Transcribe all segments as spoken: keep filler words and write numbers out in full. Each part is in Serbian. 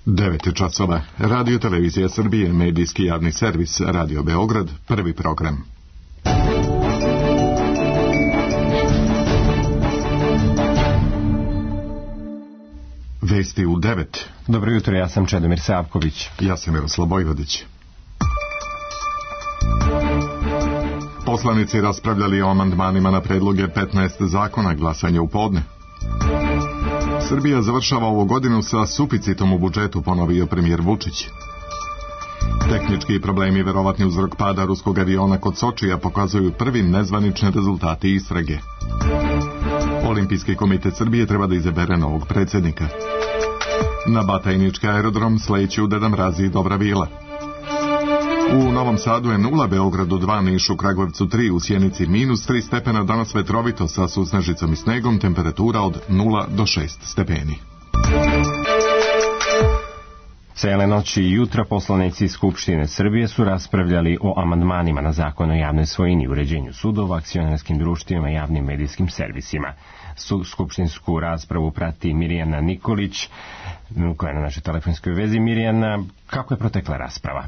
devet časova. Radio Televizija Srbije, medijski javni servis, Radio Beograd, prvi program. Vesti u devet. Dobro jutro, ja sam Čedomir Savković. Ja sam Miroslav Vojvodić. Poslanici raspravljali o amandmanima na predloge petnaest zakona, glasanje u podne. Srbija završava ovu godinu sa suficitom u budžetu, ponovio premijer Vučić. Tehnički problemi, verovatni uzrok pada ruskog aviona kod Sočija, pokazuju prvi nezvanični rezultati istrage. Olimpijski komitet Srbije treba da izabere novog predsjednika. Na Batajnički aerodrom sleću Deda Mraz i Dobra Vila. U Novom Sadu je nula, Beogradu dva, Nišu, Kragujevcu tri, u Sjenici minus tri stepena, danas vetrovito sa susnežicom i snegom, temperatura od nula do šest stepeni. Cele noći i jutra poslanici Skupštine Srbije su raspravljali o amandmanima na zakon o javnoj svojini, uređenju sudova, akcionarskim društvima i javnim medijskim servisima. Skupštinsku raspravu prati Mirjana Nikolić, koja je na našoj telefonskoj vezi. Mirjana, kako je protekla rasprava?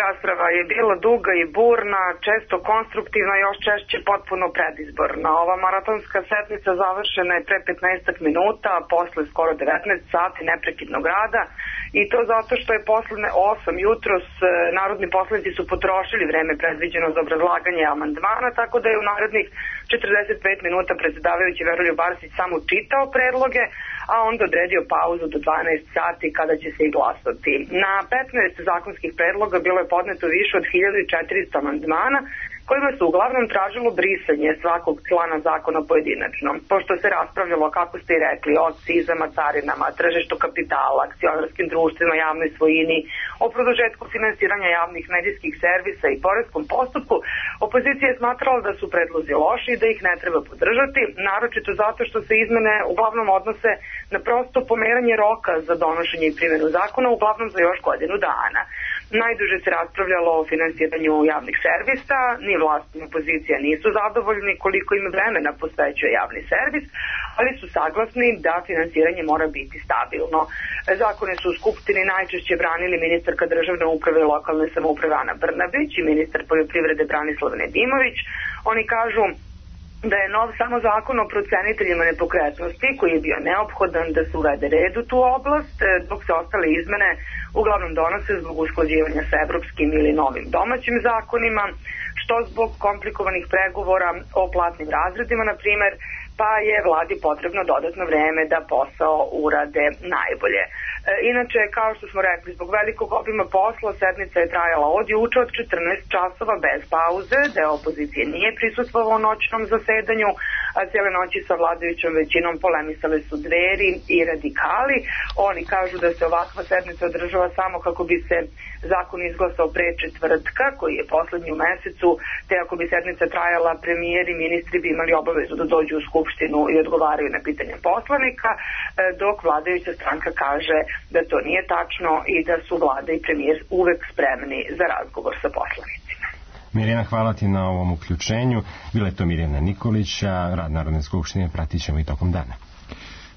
Rasprava je bila duga i burna, često konstruktivna, još češće potpuno predizborna. Ova maratonska sednica završena je pre petnaest minuta, posle skoro devetnaest sati neprekidnog rada, i to zato što je posle osam jutros narodni poslanici su potrošili vreme predviđeno za obrazlaganje amandmana, tako da je u narednih četrdeset pet minuta predsjedavajući Veroljub Arsić samo čitao predloge, a onda odredio pauzu do dvanaest sati kada će se i glasati. Na petnaest zakonskih predloga bilo je podneto više od hiljadu četiristo amandmana, kojima se uglavnom tražilo brisanje svakog člana zakona pojedinačno. Pošto se raspravljalo, kako ste i rekli, o akcizama, carinama, tržištu kapitala, akcionarskim društvima, javnoj svojini, o produžetku finansiranja javnih medijskih servisa i poreskom postupku, opozicija je smatrala da su predlozi loši i da ih ne treba podržati, naročito zato što se izmene uglavnom odnose na prosto pomeranje roka za donošenje i primjenu zakona, uglavnom za još godinu dana. Najduže se raspravljalo o finansiranju javnih servisa, ni vlast ni opozicija nisu zadovoljni koliko im vremena posvećuje javni servis, ali su saglasni da finansiranje mora biti stabilno. Zakone su u Skupštini najčešće branili ministarka državne uprave i lokalne samouprave Ana Brnabić i ministar poljoprivrede Branislav Nedimović. Oni kažu da je nov samo zakon o proceniteljima nepokretnosti, koji je bio neophodan da se uvede red u tu oblast, dok se ostale izmene uglavnom donose zbog usklađivanja sa evropskim ili novim domaćim zakonima, što zbog komplikovanih pregovora o platnim razredima, na primjer, pa je vladi potrebno dodatno vreme da posao urade najbolje. Inače, kao što smo rekli, zbog velikog obima posla sednica je trajala od juče od četrnaest časova bez pauze, deo opozicije nije prisustvovao noćnom zasedanju, a cijele noći sa vladajućom većinom polemisale su Dveri i radikali. Oni kažu da se ovakva sednica održava samo kako bi se zakon izglasao pre četvrtka, koji je poslednji u mesecu, te ako bi sednica trajala, premijer i ministri bi imali obavezu da dođu u Skupštinu i odgovaraju na pitanja poslanika, dok vladajuća stranka kaže da to nije tačno i da su vlada i premijer uvek spremni za razgovor sa poslanicima. Mirjana, hvala ti na ovom uključenju. Bila je to Mirjana Nikolić, a rad Narodne skupštine pratit ćemo i tokom dana.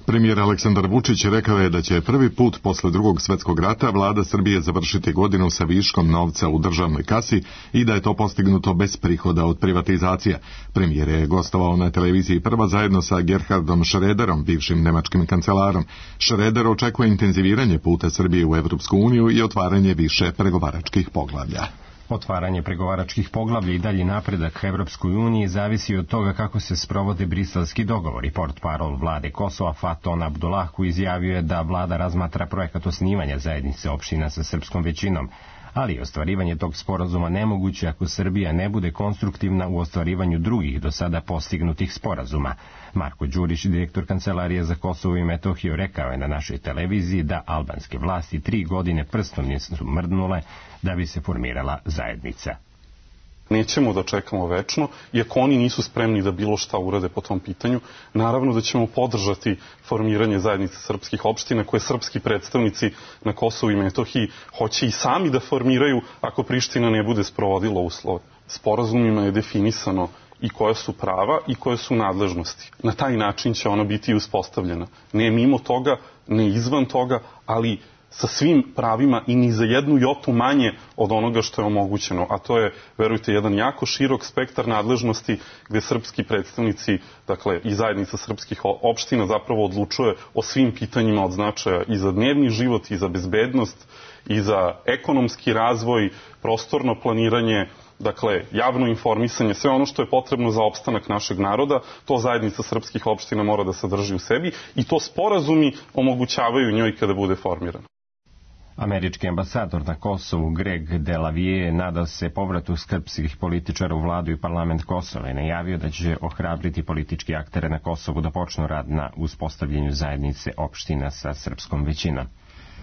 Premijer Aleksandar Vučić rekao je da će prvi put posle drugog svjetskog rata vlada Srbije završiti godinu sa viškom novca u državnoj kasi i da je to postignuto bez prihoda od privatizacija. Premijer je gostovao na televiziji Prva zajedno sa Gerhardom Schröderom, bivšim nemačkim kancelarom. Schröder očekuje intenziviranje puta Srbije u Evropsku uniju i otvaranje više pregovaračkih poglavlja. Otvaranje pregovaračkih poglavlja i dalji napredak Evropskoj uniji zavisi od toga kako se sprovode briselski dogovori. Portparol vlade Kosova Faton Abdullahu izjavio je da vlada razmatra projekat osnivanja zajednice opština sa srpskom većinom, ali ostvarivanje tog sporazuma nemoguće ako Srbija ne bude konstruktivna u ostvarivanju drugih do sada postignutih sporazuma. Marko Đurić, direktor Kancelarije za Kosovo i Metohiju, rekao je na našoj televiziji da albanske vlasti tri godine prstom nisu mrdnule da bi se formirala zajednica. Nećemo da čekamo večno, iako oni nisu spremni da bilo šta urade po tom pitanju. Naravno da ćemo podržati formiranje zajednice srpskih opština koje srpski predstavnici na Kosovu i Metohiji hoće i sami da formiraju ako Priština ne bude sprovodila uslove. Sporazumima je definisano i koja su prava i koje su nadležnosti. Na taj način će ona biti uspostavljena. Ne mimo toga, ne izvan toga, ali sa svim pravima i ni za jednu jotu manje od onoga što je omogućeno. A to je, verujte, jedan jako širok spektar nadležnosti gde srpski predstavnici, dakle i zajednica srpskih opština zapravo odlučuje o svim pitanjima od značaja i za dnevni život, i za bezbednost, i za ekonomski razvoj, prostorno planiranje, dakle, javno informisanje, sve ono što je potrebno za opstanak našeg naroda, to zajednica srpskih opština mora da sadrži u sebi i to sporazumi omogućavaju njoj kada bude formirana. Američki ambasador na Kosovu Greg Delavije nadao se povratu srpskih političara u vladu i parlament Kosova i najavio da će ohrabriti politički aktere na Kosovu da počnu rad na uspostavljanju zajednice opština sa srpskom većinom.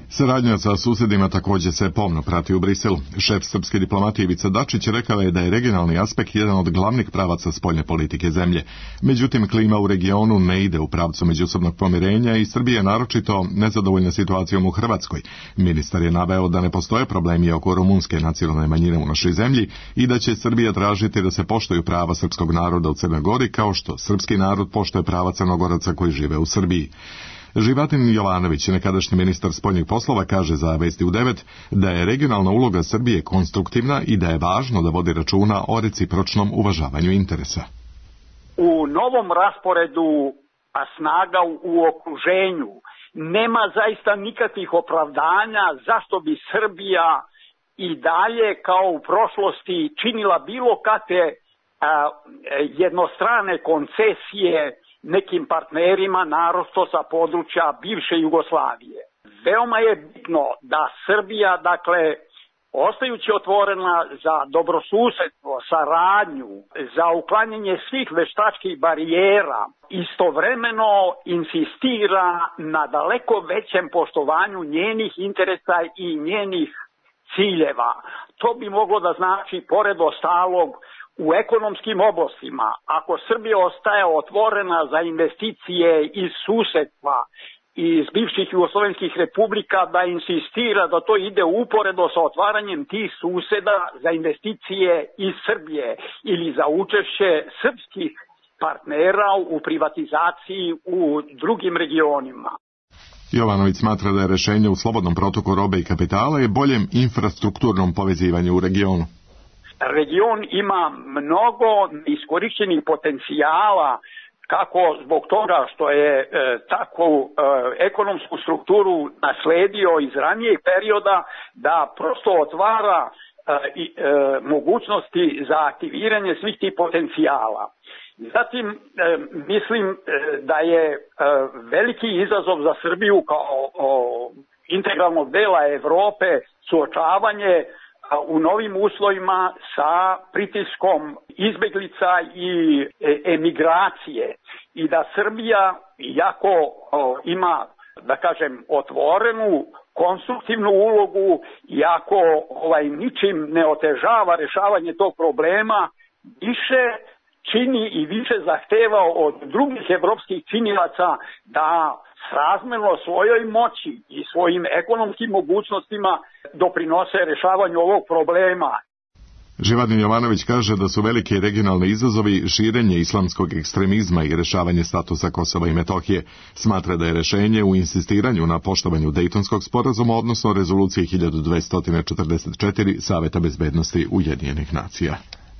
Saradnja sa susedima također se pomno prati u Briselu. Šef srpske diplomatije Ivica Dačić rekao je da je regionalni aspekt jedan od glavnih pravaca spoljne politike zemlje. Međutim, klima u regionu ne ide u pravcu međusobnog pomirenja i Srbija je naročito nezadovoljna situacijom u Hrvatskoj. Ministar je naveo da ne postoje problemi oko rumunske nacionalne manjine u našoj zemlji i da će Srbija tražiti da se poštuju prava srpskog naroda u Crnoj Gori kao što srpski narod poštuje prava Crnogoraca koji žive u Srbiji. Živatin Jovanović, nekadašnji ministar spoljnih poslova, kaže za Vesti u devet da je regionalna uloga Srbije konstruktivna i da je važno da vodi računa o recipročnom uvažavanju interesa. U novom rasporedu a snaga u okruženju nema zaista nikakvih opravdanja zašto bi Srbija i dalje kao u prošlosti činila bilo kakve a, jednostrane koncesije nekim partnerima, naročito sa područja bivše Jugoslavije. Veoma je bitno da Srbija, dakle, ostajući otvorena za dobrosusedstvo, saradnju, za uklanjanje svih veštačkih barijera, istovremeno insistira na daleko većem poštovanju njenih interesa i njenih ciljeva. To bi moglo da znači, pored ostalog, u ekonomskim oblastima, ako Srbija ostaje otvorena za investicije iz susedstva i iz bivših jugoslovenskih republika, da insistira da to ide uporedo sa otvaranjem tih suseda za investicije iz Srbije ili za učešće srpskih partnera u privatizaciji u drugim regionima. Jovanović smatra da je rešenje u slobodnom protoku robe i kapitala i boljem infrastrukturnom povezivanju u regionu. Region ima mnogo iskorišćenih potencijala, kako zbog toga što je e, takvu e, ekonomsku strukturu nasledio iz ranijeg perioda, da prosto otvara e, i, e, mogućnosti za aktiviranje svih tih potencijala. Zatim, e, mislim e, da je e, veliki izazov za Srbiju kao o, integralnog dela Evrope suočavanje u novim uslovima sa pritiskom izbeglica i emigracije i da Srbija, iako ima, da kažem, otvorenu, konstruktivnu ulogu, iako ovaj, ničim ne otežava rešavanje tog problema, više čini i više zahteva od drugih evropskih činilaca da srazmerno svojoj moći i svojim ekonomskim mogućnostima doprinose rešavanju ovog problema. Živatin Jovanović kaže da su veliki regionalni izazovi širenje islamskog ekstremizma i rešavanje statusa Kosova i Metohije. Smatra da je rešenje u insistiranju na poštovanju Dejtonskog sporazuma, odnosno rezolucije hiljadu dvesta četrdeset četiri Saveta bezbednosti Ujedinjenih nacija.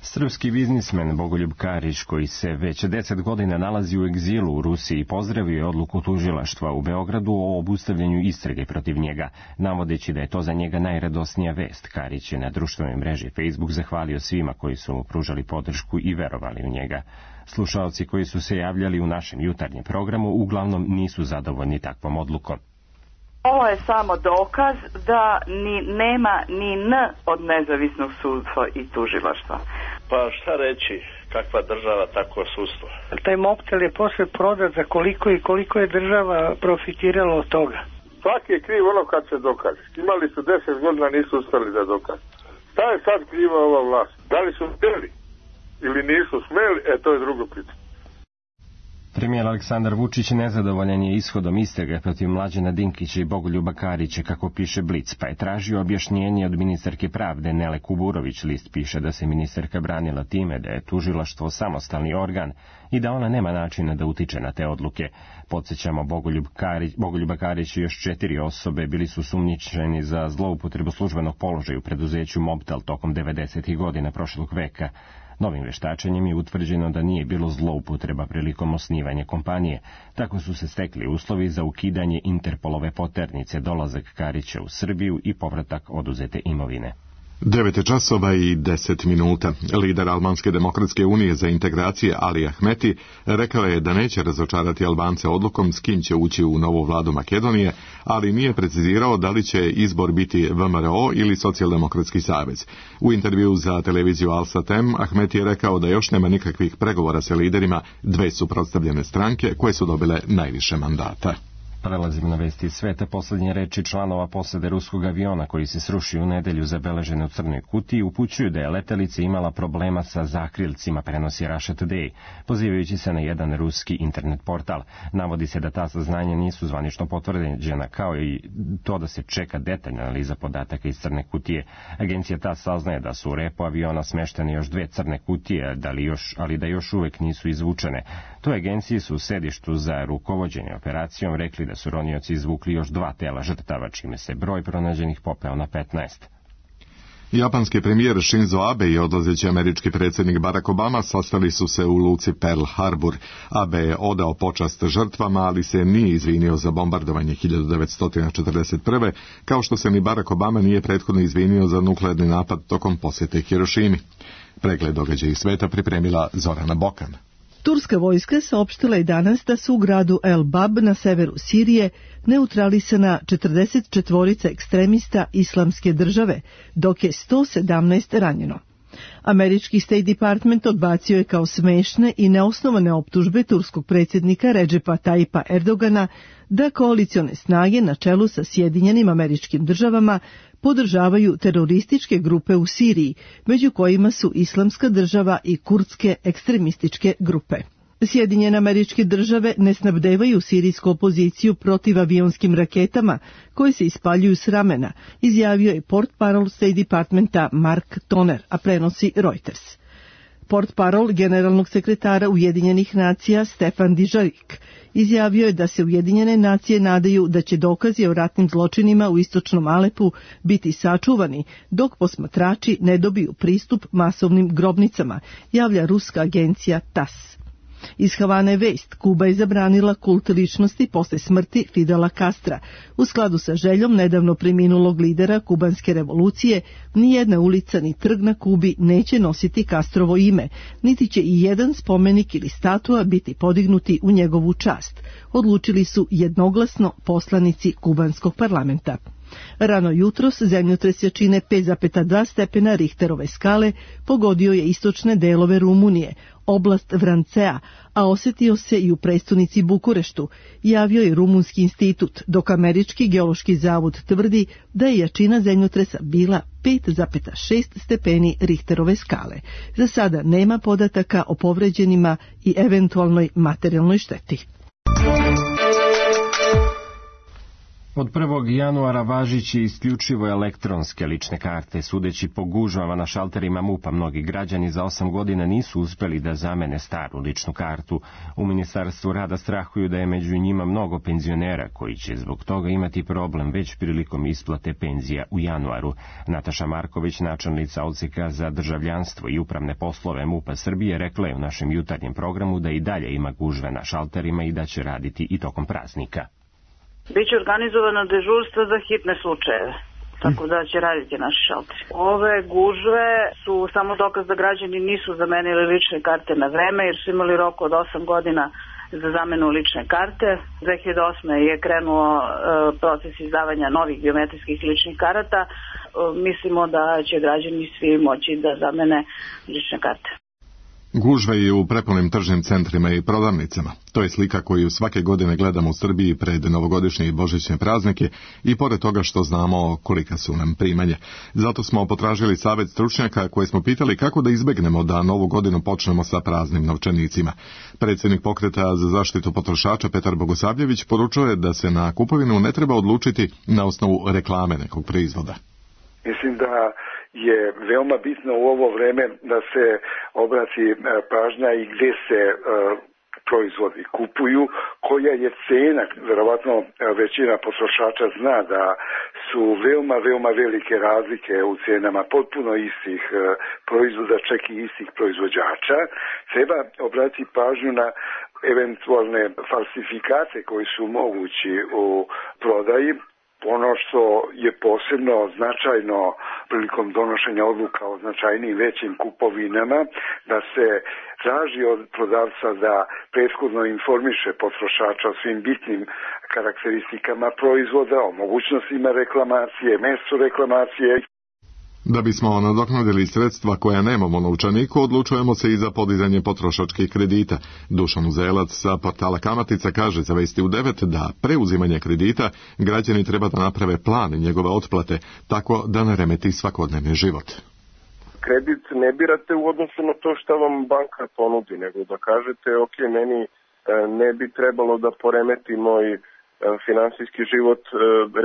Srpski biznismen Bogoljub Karić, koji se već deset godina nalazi u egzilu u Rusiji, pozdravio je odluku tužilaštva u Beogradu o obustavljanju istrage protiv njega. Navodeći da je to za njega najradosnija vest, Karić je na društvenoj mreži Facebook zahvalio svima koji su mu pružali podršku i verovali u njega. Slušaoci koji su se javljali u našem jutarnjem programu uglavnom nisu zadovoljni takvom odlukom. Ovo je samo dokaz da ni nema ni N od nezavisnog sudstva i tužilaštva. Pa šta reći, kakva država, takvo sudstvo. Taj moktel je posle prodat za koliko i koliko je država profitirala od toga. Svaki je kriv ono kad se dokaže. Imali su deset godina, nisu uspeli da dokaže. Šta je sad kriva ova vlast? Da li su smeli ili nisu smeli, e to je drugo pitanje. Premijer Aleksandar Vučić nezadovoljan je ishodom istrage protiv Mlađana Dinkića i Bogoljuba Karića, kako piše Blic, pa je tražio objašnjenje od ministarke pravde Nele Kuburović. List piše da se ministarka branila time da je tužilaštvo samostalni organ i da ona nema načina da utiče na te odluke. Podsjećamo, Bogoljub Karić, Bogoljuba Karić i još četiri osobe bili su sumnjičeni za zloupotrebu službenog položaja u preduzeću Mobtel tokom devedesetih godina prošlog veka. Novim veštačenjem je utvrđeno da nije bilo zloupotreba prilikom osnivanja kompanije. Tako su se stekli uslovi za ukidanje Interpolove poternice, dolazak Karića u Srbiju i povratak oduzete imovine. devet časova i deset minuta. Lider Albanske demokratske unije za integracije Ali Ahmeti rekao je da neće razočarati Albance odlukom s kim će ući u novu vladu Makedonije, ali nije precizirao da li će izbor biti V M R O ili Socijaldemokratski savez. U intervju za televiziju Al-Satem Ahmeti je rekao da još nema nikakvih pregovora sa liderima dve suprotstavljene stranke koje su dobile najviše mandata. Prelazimo na vesti iz sveta. Posljednje reči članova posade ruskog aviona koji se srušio u nedelju zabeležene u Crnoj Kutiji upućuju da je letelica imala problema sa zakrilcima, prenosi Russia Today, pozivajući se na jedan ruski internet portal. Navodi se da ta saznanja nisu zvanično potvrđena, kao i to da se čeka detaljna analiza podataka iz Crne Kutije. Agencija ta saznaje da su u repu aviona smeštene još dve crne kutije, da li još, ali da još uvek nisu izvučene. Toj agenciji su u sedištu za rukovođenje operacijom rekli da su ronioci izvukli još dva tela žrtava, čime se broj pronađenih popeo na petnaest. Japanski premijer Shinzo Abe i odlazeći američki predsjednik Barack Obama sastali su se u luci Pearl Harbor. Abe je odao počast žrtvama, ali se nije izvinio za bombardovanje hiljadu devetsto četrdeset prve, kao što se ni Barack Obama nije prethodno izvinio za nuklearni napad tokom posjete Hirošimi. Pregled događaja iz sveta pripremila Zorana Bokan. Turska vojska saopštila je danas da su u gradu El Bab na severu Sirije neutralisana četrdeset četvorica ekstremista Islamske države, dok je sto sedamnaest ranjeno. Američki State Department odbacio je kao smešne i neosnovane optužbe turskog predsjednika Redžepa Tajipa Erdogana da koalicione snage na čelu sa Sjedinjenim Američkim Državama podržavaju terorističke grupe u Siriji, među kojima su Islamska država i kurdske ekstremističke grupe. Sjedinjene Američke Države ne snabdevaju sirijsku opoziciju protiv avionskim raketama koje se ispaljuju s ramena, izjavio je portparol State Departmenta Mark Toner, a prenosi Reuters. Portparol generalnog sekretara Ujedinjenih nacija Stefan Dujarric izjavio je da se Ujedinjene nacije nadaju da će dokazi o ratnim zločinima u istočnom Alepu biti sačuvani dok posmatrači ne dobiju pristup masovnim grobnicama, javlja ruska agencija T A S. Iz Havane vest, Kuba je zabranila kult ličnosti posle smrti Fidela Castra. U skladu sa željom nedavno preminulog lidera kubanske revolucije, nijedna ulica ni trg na Kubi neće nositi Castrovo ime, niti će i jedan spomenik ili statua biti podignuti u njegovu čast, odlučili su jednoglasno poslanici kubanskog parlamenta. Rano jutros zemljotres jačine pet zarez dva stepena Richterove skale pogodio je istočne delove Rumunije, oblast Vrancea, a osjetio se i u prestonici Bukureštu, javio je Rumunski institut, dok Američki geološki zavod tvrdi da je jačina zemljotresa bila pet zarez šest stepeni Richterove skale. Za sada nema podataka o povređenima i eventualnoj materijalnoj šteti. Od prvog januara važići isključivo elektronske lične karte. Sudeći po gužvama na šalterima MUP-a, mnogi građani za osam godina nisu uspeli da zamene staru ličnu kartu. U Ministarstvu rada strahuju da je među njima mnogo penzionera koji će zbog toga imati problem već prilikom isplate penzija u januaru. Nataša Marković, načelnica Odseka za državljanstvo i upravne poslove MUP-a Srbije, rekla je u našem jutarnjem programu da i dalje ima gužve na šalterima i da će raditi i tokom praznika. Biće organizovano dežurstvo za hitne slučajeve, tako da će raditi naši šalteri. Ove gužve su samo dokaz da građani nisu zamenili lične karte na vreme, jer su imali rok od osam godina za zamenu lične karte. dve hiljade osme je krenuo e, proces izdavanja novih biometrijskih ličnih karata. E, mislimo da će građani svi moći da zamene lične karte. Gužve i u prepunim tržnim centrima i prodavnicama. To je slika koju svake godine gledamo u Srbiji pred novogodišnje i božićne praznike i pored toga što znamo kolika su nam primanja. Zato smo potražili savjet stručnjaka koje smo pitali kako da izbegnemo da novu godinu počnemo sa praznim novčanicima. Predsjednik pokreta za zaštitu potrošača Petar Bogosavljević poručuje da se na kupovinu ne treba odlučiti na osnovu reklame nekog proizvoda. Mislim da je veoma bitno u ovo vreme da se obrati pažnja i gdje se uh, proizvodi kupuju, koja je cena. Verovatno većina potrošača zna da su veoma, veoma velike razlike u cenama potpuno istih uh, proizvoda, čak i istih proizvođača. Treba obratiti pažnju na eventualne falsifikate koji su mogući u prodaji. Ono što je posebno značajno prilikom donošenja odluka o značajnijim većim kupovinama, da se traži od prodavca da prethodno informiše potrošača o svim bitnim karakteristikama proizvoda, o mogućnostima reklamacije, mjestu reklamacije. Da bismo nadoknadili sredstva koja nemamo na novčaniku, odlučujemo se i za podizanje potrošačkih kredita. Dušan Uzelac sa portala Kamatica kaže za Vesti u devet da preuzimanje kredita građani treba da naprave plan njegove otplate, tako da ne remeti svakodnevni život. Kredit ne birate u odnosu na to što vam banka ponudi, nego da kažete, ok, meni ne bi trebalo da poremeti moj finansijski život,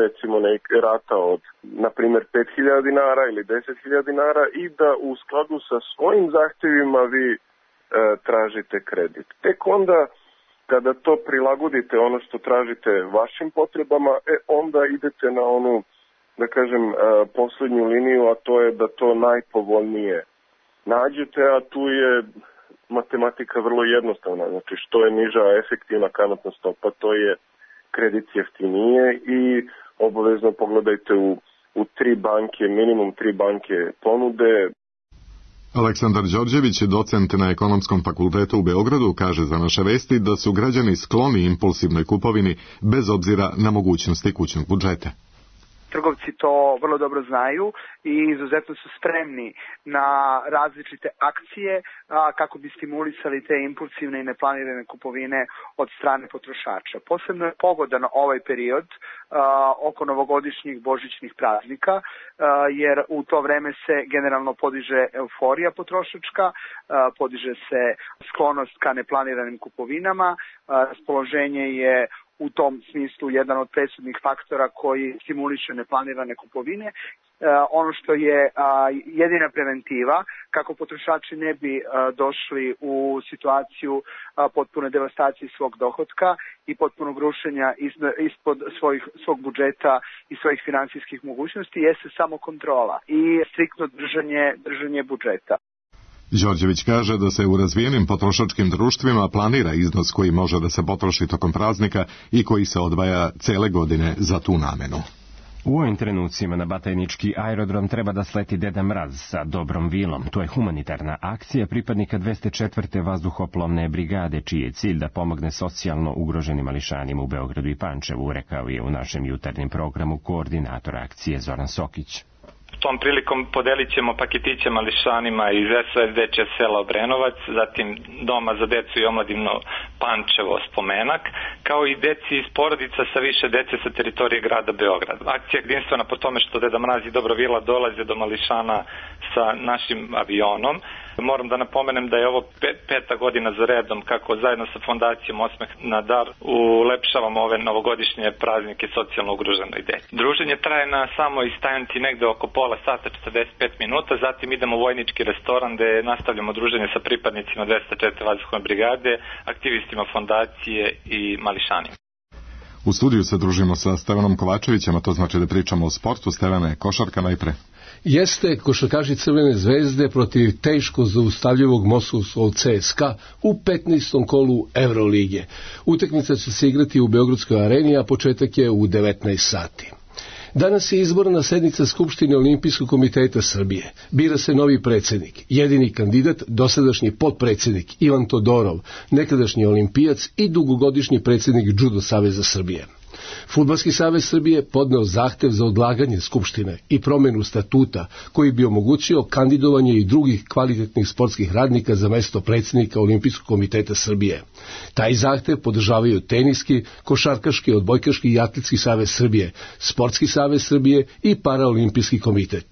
recimo nek rata od, na primjer, pet hiljada dinara ili deset hiljada dinara i da u skladu sa svojim zahtjevima vi e, tražite kredit. Tek onda, kada to prilagodite ono što tražite vašim potrebama, e, onda idete na onu, da kažem, e, posljednju liniju, a to je da to najpovoljnije nađete, a tu je matematika vrlo jednostavna. Znači, što je niža efektivna kamatna stopa, to je kredit jeftinije i obavezno pogledajte u, u tri banke, minimum tri banke ponude. Aleksandar Đorđević, docent na Ekonomskom fakultetu u Beogradu, kaže za Naše vesti da su građani skloni impulsivnoj kupovini bez obzira na mogućnosti kućnog budžeta. Trgovci to vrlo dobro znaju i izuzetno su spremni na različite akcije a, kako bi stimulisali te impulsivne i neplanirane kupovine od strane potrošača. Posebno je pogodan ovaj period a, oko novogodišnjih božićnih praznika, a, jer u to vreme se generalno podiže euforija potrošačka, a, podiže se sklonost ka neplaniranim kupovinama, a, raspoloženje je u tom smislu jedan od presudnih faktora koji stimuliše neplanirane kupovine. E, ono što je a, jedina preventiva kako potrošači ne bi a, došli u situaciju a, potpune devastacije svog dohotka i potpunog rušenja ispod svojih, svog budžeta i svojih finansijskih mogućnosti jeste samo kontrola i striktno držanje, držanje budžeta. Đorđević kaže da se u razvijenim potrošačkim društvima planira iznos koji može da se potroši tokom praznika i koji se odvaja cele godine za tu namenu. U ovim trenucima na Batajnički aerodrom treba da sleti Deda Mraz sa dobrom vilom. To je humanitarna akcija pripadnika dvesta četvrte vazduhoplovne brigade, čiji je cilj da pomogne socijalno ugroženim mališanima u Beogradu i Pančevu, rekao je u našem jutarnjem programu koordinator akcije Zoran Sokić. Tom prilikom podelit ćemo paketiće mališanima iz S O S Dečje sela Obrenovac, zatim Doma za decu i omladinu Pančevo Spomenak, kao i deci iz porodica sa više dece sa teritorije grada Beograda. Akcija je jedinstvena po tome što Deda Mraz i Dobro vila dolaze do mališana sa našim avionom. Moram da napomenem da je ovo peta godina za redom kako zajedno sa fondacijom Osmeh na dar ulepšavamo ove novogodišnje praznike socijalno ugroženoj deci. Druženje traje na samoj stajanci negde oko pola sata, četrdeset pet minuta, zatim idemo u vojnički restoran gde nastavljamo druženje sa pripadnicima dvesta četvrte vazduhoplovne brigade, aktivistima fondacije i mališanima. U studiju se družimo sa Stevanom Kovačevićem, a to znači da pričamo o sportu. Stevane, košarka najpre. Jeste košarkaši Crvene zvezde protiv teško zaustavljivog moskovskog C S K A u petnaestom kolu Evrolige. Utakmica će se igrati u Beogradskoj areni, a početak je u devetnaest sati. Danas je izborna sednica Skupštine Olimpijskog komiteta Srbije. Bira se novi predsjednik. Jedini kandidat, dosadašnji potpredsjednik Ivan Todorov, nekadašnji olimpijac i dugogodišnji predsjednik Judo saveza Srbije. Fudbalski savez Srbije podneo zahtev za odlaganje Skupštine i promenu statuta koji bi omogućio kandidovanje i drugih kvalitetnih sportskih radnika za mesto predsjednika Olimpijskog komiteta Srbije. Taj zahtev podržavaju Teniski, Košarkaški, Odbojkaški i Atletski savez Srbije, Sportski savez Srbije i Paraolimpijski komitet.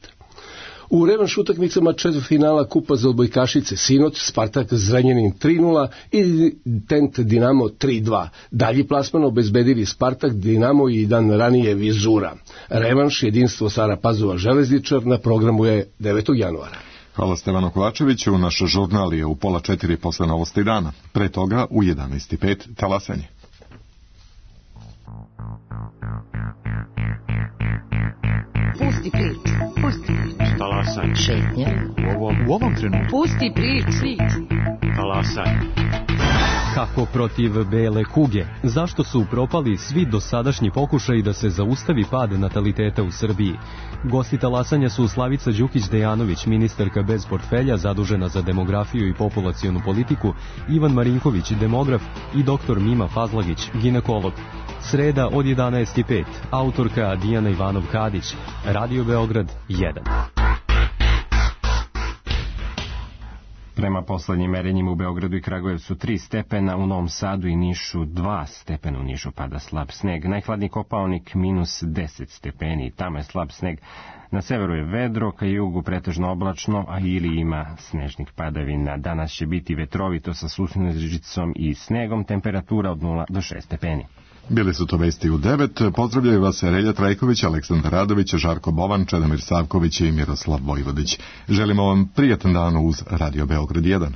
U revanš utakmicama četvrtfinala Kupa za odbojkašice sinoć Spartak Zrenjanin tri nula i Tent Dinamo tri dva. Dalji plasman obezbedili Spartak, Dinamo i dan ranije Vizura. Revanš jedinstvo Stara Pazova Železničar na programu je devetog januara. Hvala Stevanu Kovačeviću. Naš žurnal je u pola četiri posle novosti dana. Pre toga u jedanaest i pet talasanje. Pusti priču, pusti priču. Talasanje. Šetnja. U ovom, u ovom trenutku. Pusti priču. Talasanje. Kako protiv bele kuge? Zašto su propali svi dosadašnji pokušaji da se zaustavi pad nataliteta u Srbiji? Gosti talasanja su Slavica Đukić-Dejanović, ministarka bez portfelja zadužena za demografiju i populacionu politiku, Ivan Marinković, demograf i doktor Mima Fazlagić, ginekolog. Sreda od jedanaest i pet, autorka Dijana Ivanov-Kadić, Radio Beograd jedan. Prema poslednjim merenjima u Beogradu i Kragujevcu tri stepena, u Novom Sadu i Nišu dva stepena, u Nišu pada slab sneg. Najhladniji Kopaonik minus deset stepeni, tamo je slab sneg. Na severu je vedro, ka jugu pretežno oblačno, a ili ima snežnih padavina. Danas će biti vetrovito sa susnežicom i snegom, temperatura od nula do šest stepeni. Bili su to vesti u devet. Pozdravljaju vas Relja Trajković, Aleksandar Radović, Žarko Bovan, Čedomir Savković i Miroslav Vojvodić. Želimo vam prijatan dan uz Radio Beograd jedan.